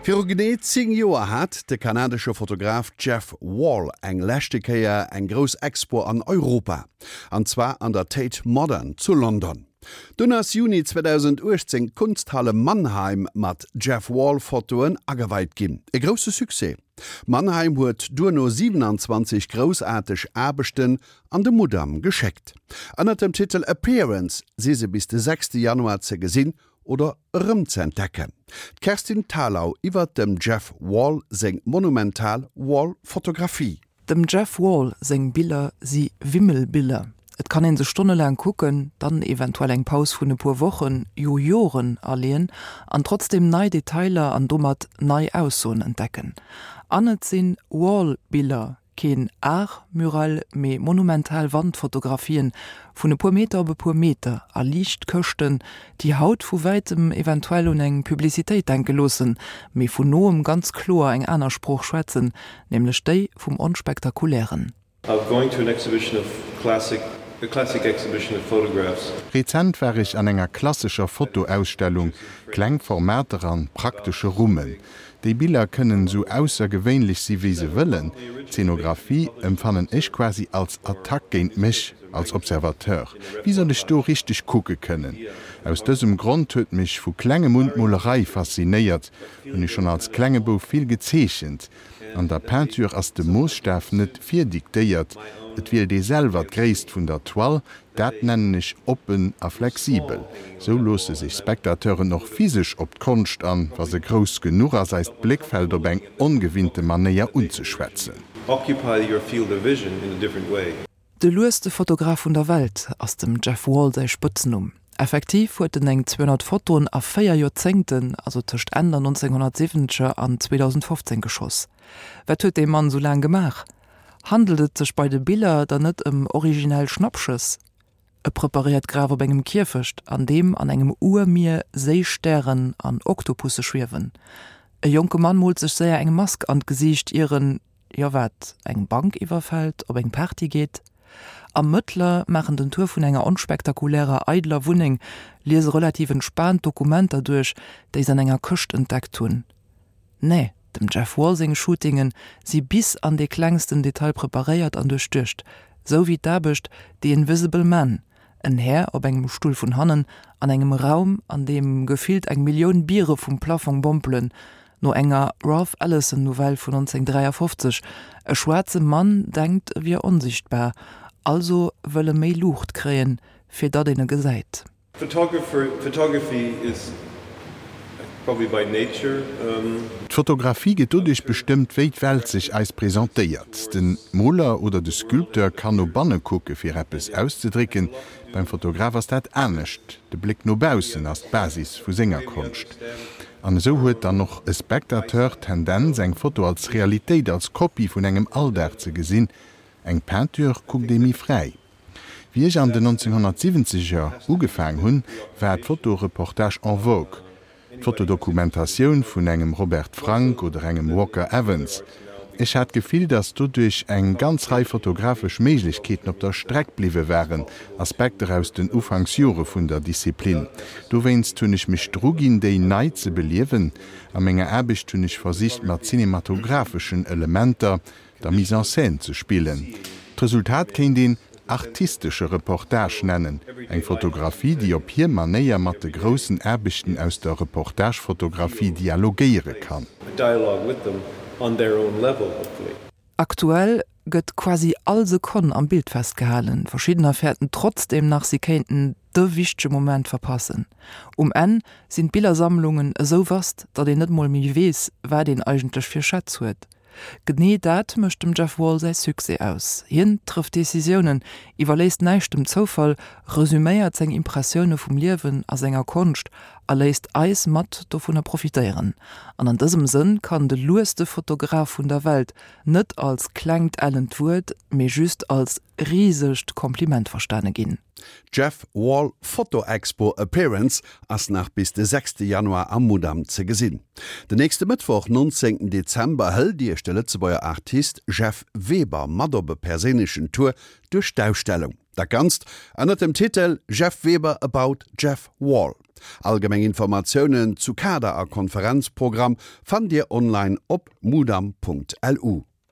Viru genee 10 Joer hat de kanadesche Fotograf Jeff Wall eng leschte Kéier eng grouss Expo an Europa, an zwar an der Tate Modern zu London. Dunn ass Juni 2018 d'Kunsthalle Mannheim mat Jeff Wall Fotoen ageweit ginn. E grousse Succès! Mannheim huet duerno 27 groussaarteg Aarbechten an de Mudam geschéckt. Ënnert dem Titel Appearance si se bis de 6 Januar ze gesinn oder erëm ze entdecken. D'Kerstin Thalau iwwert dem Jeff Wall seng monumental Wall-Fotografie. Dem Jeff Wall seng Biller si Wimmelbiller. Et kann een se stonnelaang kucken, dann eventuell eng Paus vun e puer Wochen, jo Joren aleeën an trotzdeem nei Detailer an domat nei Aussoen entdecken. An et sinn Wall-Biller, Keen Art mural, mee monumental Wandfotografien vun e puer Meter op e puer Meter a Liichtkëschten, déi haut vu wäitem eventuell un eng Publicitéit denke loossen, mee vun noem ganz kloer eng aner Sprooch schwätzen, nämlech déi vum Onspektakulären. Going to an exhibition of classic a classic exhibition of photographs. Rezent war ech an enger klassescher Fotoausstellung, kleng Formater an praktesche Rummen. Déi Biller kënnen sou aussergewéinlech si wéi se wëllen, d'Zenographie emfannen ech quasi als Attack géint mech als Observateur. Wéi soll ech do richteg kucke kënnen? Aus dësem Grond huet mech vu klengem un d'Molerei faszinéiert, hunn ech schonn als klenge Bouf vill gezeechent. An der Peinture ass de Moosstaf net virdiktéiert, et wielt ee selwer d'Gréisst vun der Toile, Dat nennen ech oppen a flexibel. Sou loosse sech Spectateuren och physesch op d'Konscht an, wa se grouss genuch ass, eist Bléckfeld op eng ongewinnte Manéier unzeschwätzen. Occupy your field of vision in a different way. De lueste Fotograf vun der Welt ass dem Jeff Wall säi Spëtznumm. Effektiv huet en eng 200 Fotoen a 4 Joerzéngten, also tëscht Enn der 1970er an 2015 geschoss. Wat huet dee Mann sou laang gemaach? Handelt et sech bei de Biller dann net ëm originell Schnappschëss? E preparéiert Graf op engem Kierfecht, an deem an engem Urmier Séistären an Oktopusse schwiewen. E jonke Mann moolt sech séier eng Mask an d'Gesiicht, ier en, jo wat, eng Bank iwwerfält, op eng Party geet. Ermëttler maachen den Tour vun enger onspektakulärer, eideler Wunneng, liese relativ entspaant Dokumenter duerch, déi se an enger Këscht entdeckt hunn. Nee, dem Jeff Wall seng Shootinge si bis an dee klengsten Detail preparéiert an duerchduecht, sou wéi d'Aarbecht The Invisible Man, en Här op engem Stull vun hannen an engem Raum, an deem gefillt eng Millioun Biere vum Plafong bompelen, no enger Ralph Ellison Novell vun 1953, e schwaarze Mann denkt e wier onsichtbar, also wëll e méi Luucht kréien, fir datt een e gesäit. Photography is probably by nature. D'Fotografie gëtt doduerch bestëmmt, wéi d'Welt sech eis presentéiert. De Moler oder de Sculpteur kann no banne kucke fir eppes auszedrécken, beim Fotograf ass dat anescht. De Bléck no baussen ass d'Basis vu senger Konscht. An esou huet dann och e Spectateur d'Tendenz, eng Foto als Realitéit, als Kopie vun engem Alldag ze gesinn. Eng Peinture kuckt ee méi fräi. Wéi ech an den 1970 er ugefaang hunn, war d'Fotoreportage en vogue, d'Fotodokumentatioun vun engem Robert Frank oder engem Walker Evans. Ech hat d'Gefill, datt doduerch eng ganz Rei fotografesch Méiglechkeeten op der Streck bliwwe waren, Aspekter aus den Ufanksjore vun der Disziplin. Dowéinst hunn ech mech druginn, déi nei ze beliewen. A menger Aarbecht hunn ech versicht, mat cinematographeschen Elementer, der Mise en scène ze spillen. D'Resultat kéint een artistesche Reportage nennen, eng Fotografie, déi op hir Manéier mat de groussen Aarbechten aus der Reportagefotografie dialogéiere kann. Aktuell gëtt quasi all Sekonn am Bild festgehalen. Verschiddener fäerten trotzdeem nach, si kéinten de wichtege Moment verpassen. Um Enn sinn d'Billersammlungen esou vast, datt een net mol méi weess, wat een eigentlech fir Schätz huet. Genee dat mécht dem Jeff Wall säi Succès aus, Hien trëfft Decisiounen, iwwerléisst näischt dem Zoufall, resuméiert seng Impressioune vum Liewen a senger Konscht a léisst eis mat dovunner profitéieren. An an dësem Sënn kann de lueste Fotograf vun der Welt net als klengt ellent Wuert, mee just als risegt Kompliment verstane ginn. D'Jeff Wall Photo Expo Appearance ass nach bis de 6 Januar am Mudam ze gesinn. Den nächste Mëttwoch, 19 Dezember, hëlt Iech de Lëtzebuerger Artist Jeff Weber mat op e perséinlechen Tour duerch d'Ausstellung. Dat Ganzt ënnert dem Titel Jeff Weber about Jeff Wall. Allgemeng Informatiounen zu Kader a Konferenzprogramm fannt Dir online op mudam.lu.